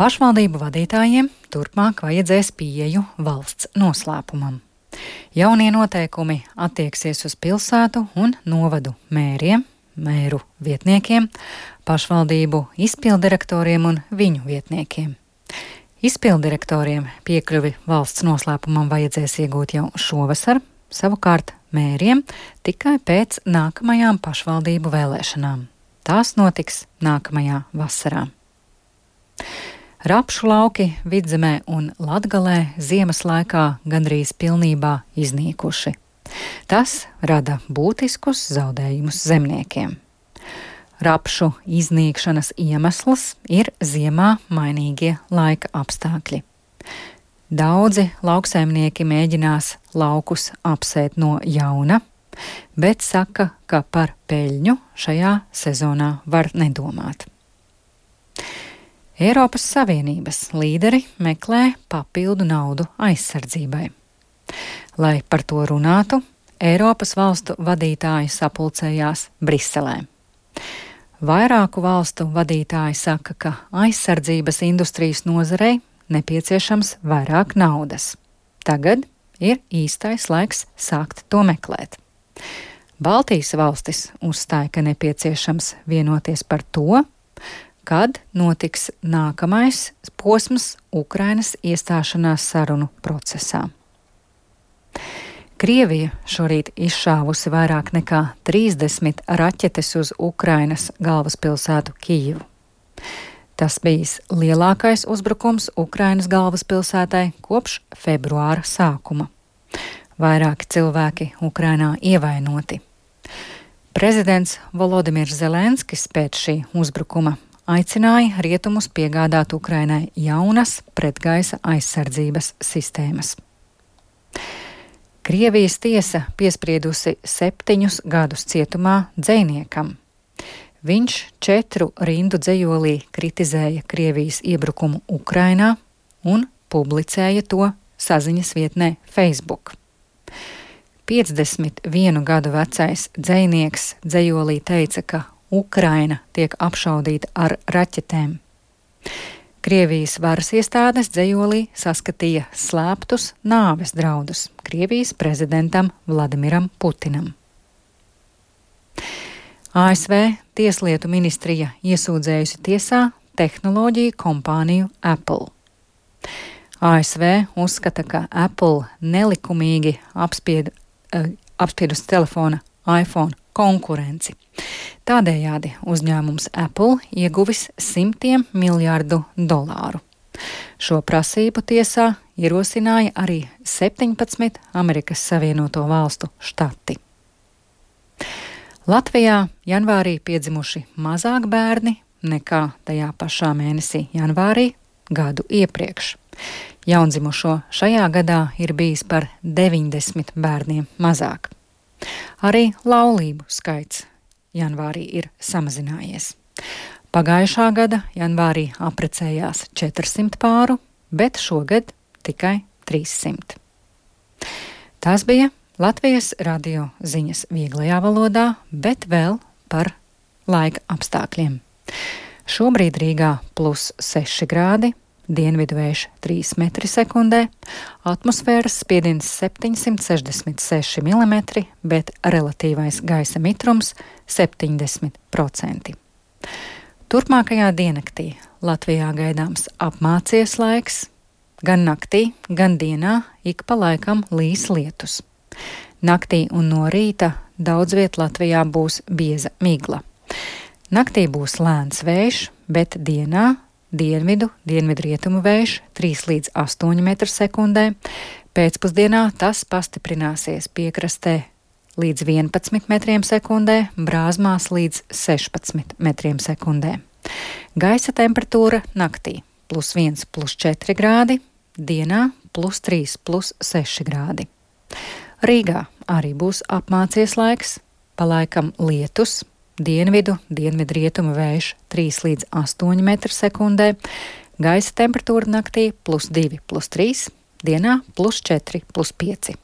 Pašvaldību vadītājiem turpmāk vajadzēs pieeju valsts noslēpumam. Jaunie noteikumi attieksies uz pilsētu un novadu mēriem, mēru vietniekiem, pašvaldību izpildirektoriem un viņu vietniekiem. Izpildirektoriem piekļuvi valsts noslēpumam vajadzēs iegūt jau šovasar, savukārt mēriem tikai pēc nākamajām pašvaldību vēlēšanām. Tās notiks nākamajā vasarā. Rapšu lauki Vidzemē un Latgalē ziemas laikā gandrīz pilnībā iznīkuši. Tas rada būtiskus zaudējumus zemniekiem. Rapšu iznīkšanas iemesls ir ziemā mainīgie laika apstākļi. Daudzi lauksaimnieki mēģinās laukus apsēt no jauna, bet saka, ka par peļņu šajā sezonā var nedomāt. Eiropas Savienības līderi meklē papildu naudu aizsardzībai. Lai par to runātu, Eiropas valstu vadītāji sapulcējās Briselē. Vairāku valstu vadītāji saka, ka aizsardzības industrijas nozarei nepieciešams vairāk naudas. Tagad ir īstais laiks sākt to meklēt. Baltijas valstis uzstāja, ka nepieciešams vienoties par to, kad notiks nākamais posms Ukrainas iestāšanās sarunu procesā. Krievija šorīt izšāvusi vairāk nekā 30 raķetes uz Ukrainas galvaspilsētu Kijivu. Tas bijis lielākais uzbrukums Ukrainas galvaspilsētai kopš februāra sākuma. Vairāki cilvēki Ukrainā ievainoti. Prezidents Volodimirs Zelenskis pēc šī uzbrukuma aicināja rietumus piegādāt Ukrainai jaunas pretgaisa aizsardzības sistēmas. Krievijas tiesa piespriedusi 7 gadus cietumā dzejniekam. Viņš 4 rindu dzejolī kritizēja Krievijas iebrukumu Ukrainā un publicēja to saziņas vietnē Facebook. 51 gadu vecais dzejnieks dzejolī teica, ka Ukraina tiek apšaudīta ar raķetēm. Krievijas varas iestādes dzejolī saskatīja slēptus nāves draudus Krievijas prezidentam Vladimiram Putinam. ASV Tieslietu ministrija iesūdzējusi tiesā tehnoloģiju kompāniju Apple. ASV uzskata, ka Apple nelikumīgi apspiedusi telefona iPhone konkurenci. Tādējādi uzņēmums Apple ieguvis $100 miljārdu. Šo prasību tiesā ierosināja arī 17 Amerikas Savienoto Valstu štati. Latvijā janvārī piedzimuši mazāk bērni nekā tajā pašā mēnesī janvārī gadu iepriekš. Jaundzimušo šajā gadā ir bijis par 90 bērniem mazāk. Arī laulību skaits janvārī ir samazinājies. Pagājušā gada janvārī apprecējās 400 pāru, bet šogad tikai 300. Tās bija Latvijas radio ziņas vieglajā valodā, bet vēl par laika apstākļiem. Šobrīd Rīgā +6 grādi, dienvidu vējš 3 metri sekundē, atmosfēras spiediens 766 mm, bet relatīvais gaisa mitrums 70%. Turpmākajā diennaktī Latvijā gaidāms apmācies laiks, gan naktī, gan dienā ik pa laikam līs lietus. Naktī un no rīta daudz viet Latvijā būs bieza migla. Naktī būs lēns vējš, bet dienā dienvidrietumu vējš 3 līdz 8 metru sekundē. Pēcpusdienā tas pastiprināsies piekrastē līdz 11 metriem sekundē, brāzmās līdz 16 metriem sekundē. Gaisa temperatūra naktī +1, +4 grādi, dienā +3, +6 grādi. Rīgā arī būs apmācies laiks, pa laikam lietus, dienvidrietumu vējš 3 līdz 8 metru sekundē, gaisa temperatūra naktī +2, +3, dienā +4, +5.